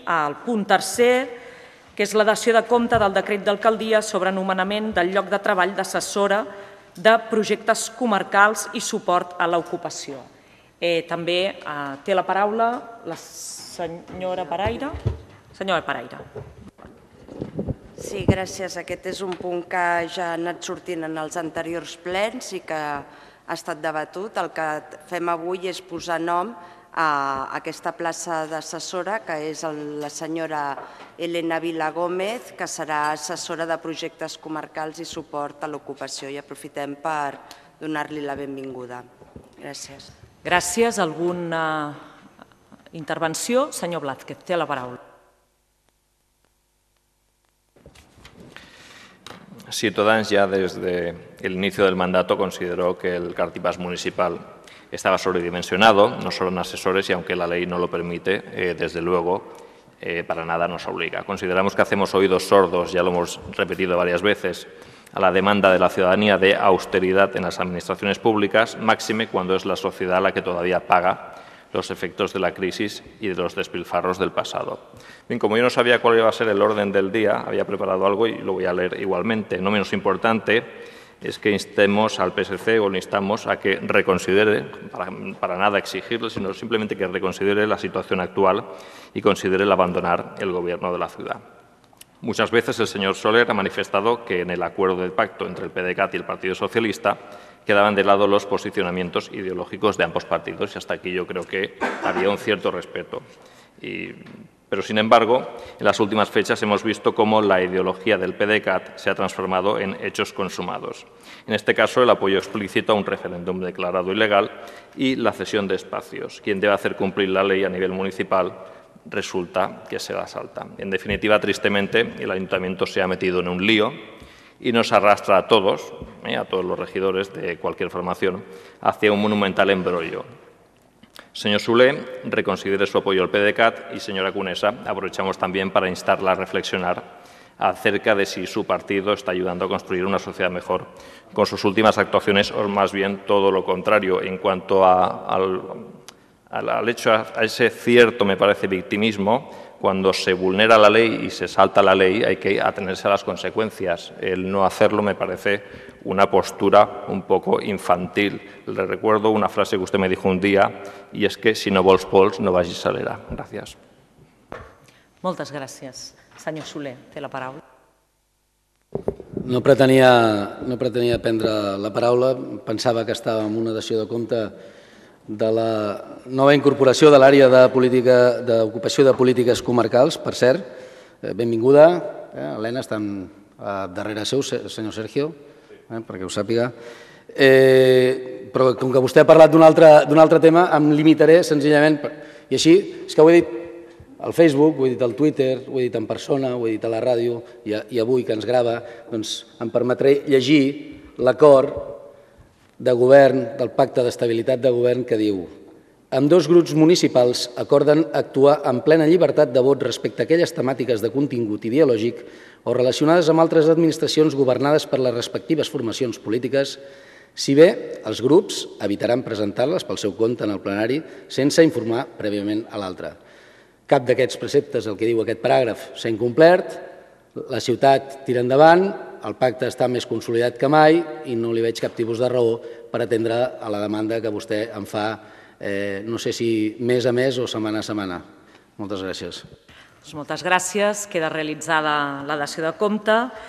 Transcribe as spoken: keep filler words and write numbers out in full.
al punt tercer, que és la dació de compte del decret d'alcaldia sobre nomenament del lloc de treball d'assessora de projectes comarcals i suport a l'ocupació. També té la paraula la senyora Paraire. Senyora Paraire. Sí, gràcies. Aquest és un punt que ja ha anat sortint en els anteriors plens i que ha estat debatut. El que fem avui és posar nom a aquesta plaça d'assessora, que és la senyora Elena Vila Gómez, que serà assessora de projectes comarcals i suport a l'ocupació. I aprofitem per donar-li la benvinguda. Gràcies. Gràcies. Alguna intervenció? Senyor Blázquez, té la paraula. Ciutadans ya desde el inicio del mandato consideró que el Cartipàs municipal estaba sobredimensionado, no solo en asesores, y aunque la ley no lo permite, eh, desde luego, eh, para nada nos obliga. Consideramos que hacemos oídos sordos, ya lo hemos repetido varias veces, a la demanda de la ciudadanía de austeridad en las administraciones públicas, máxime cuando es la sociedad la que todavía paga los efectos de la crisis y de los despilfarros del pasado. Bien, como yo no sabía cuál iba a ser el orden del día, había preparado algo y lo voy a leer igualmente. No menos importante es que instemos al P S C o le instamos a que reconsidere, para, para nada exigirle, sino simplemente que reconsidere la situación actual y considere el abandonar el gobierno de la ciudad. Muchas veces el señor Soler ha manifestado que en el acuerdo del pacto entre el P D C A T y el Partido Socialista quedaban de lado los posicionamientos ideológicos de ambos partidos y hasta aquí yo creo que había un cierto respeto. Y, pero, sin embargo, en las últimas fechas hemos visto cómo la ideología del P D C A T se ha transformado en hechos consumados. En este caso, el apoyo explícito a un referéndum declarado ilegal y la cesión de espacios. Quien debe hacer cumplir la ley a nivel municipal resulta que se la salta. En definitiva, tristemente, el ayuntamiento se ha metido en un lío y nos arrastra a todos, eh, a todos los regidores de cualquier formación, hacia un monumental embrollo. Señor Soler, reconsidere su apoyo al P D C A T y, señora Conesa, aprovechamos también para instarla a reflexionar acerca de si su partido está ayudando a construir una sociedad mejor con sus últimas actuaciones o más bien todo lo contrario en cuanto a, al, al, al hecho, a ese cierto, me parece, victimismo. Cuando se vulnera la ley y se salta la ley hay que atenerse a las consecuencias. El no hacerlo me parece una postura un poco infantil. Le recuerdo una frase que usted me dijo un día y es que si no vols pols no vagis a l'era. Gràcies. Moltes gràcies. Senyor Soler, té la paraula. No pretenia, no pretenia prendre la paraula. Pensava que estava en una dació de compte de la nova incorporació de l'àrea d'ocupació de polítiques comarcals. Per cert, benvinguda. Helena, està darrere seu, senyor Sergio, perquè ho sàpiga. Però com que vostè ha parlat d'un altre tema, em limitaré senzillament, i així, és que ho he dit al Facebook, ho he dit al Twitter, ho he dit en persona, ho he dit a la ràdio, i avui que ens grava, doncs em permetré llegir l'acord de govern, del pacte d'estabilitat de govern, que diu: ambdós grups municipals acorden actuar amb plena llibertat de vot respecte a aquelles temàtiques de contingut ideològic o relacionades amb altres administracions governades per les respectives formacions polítiques, si bé els grups evitaran presentar-les pel seu compte en el plenari sense informar prèviament a l'altre. Cap d'aquests preceptes, el que diu aquest paràgraf, s'ha incomplert, la ciutat tira endavant, el pacte està més consolidat que mai i no li veig cap tipus de raó per atendre a la demanda que vostè em fa, no sé si mes a mes o setmana a setmana. Moltes gràcies. Moltes gràcies. Queda realitzada la dació de compte.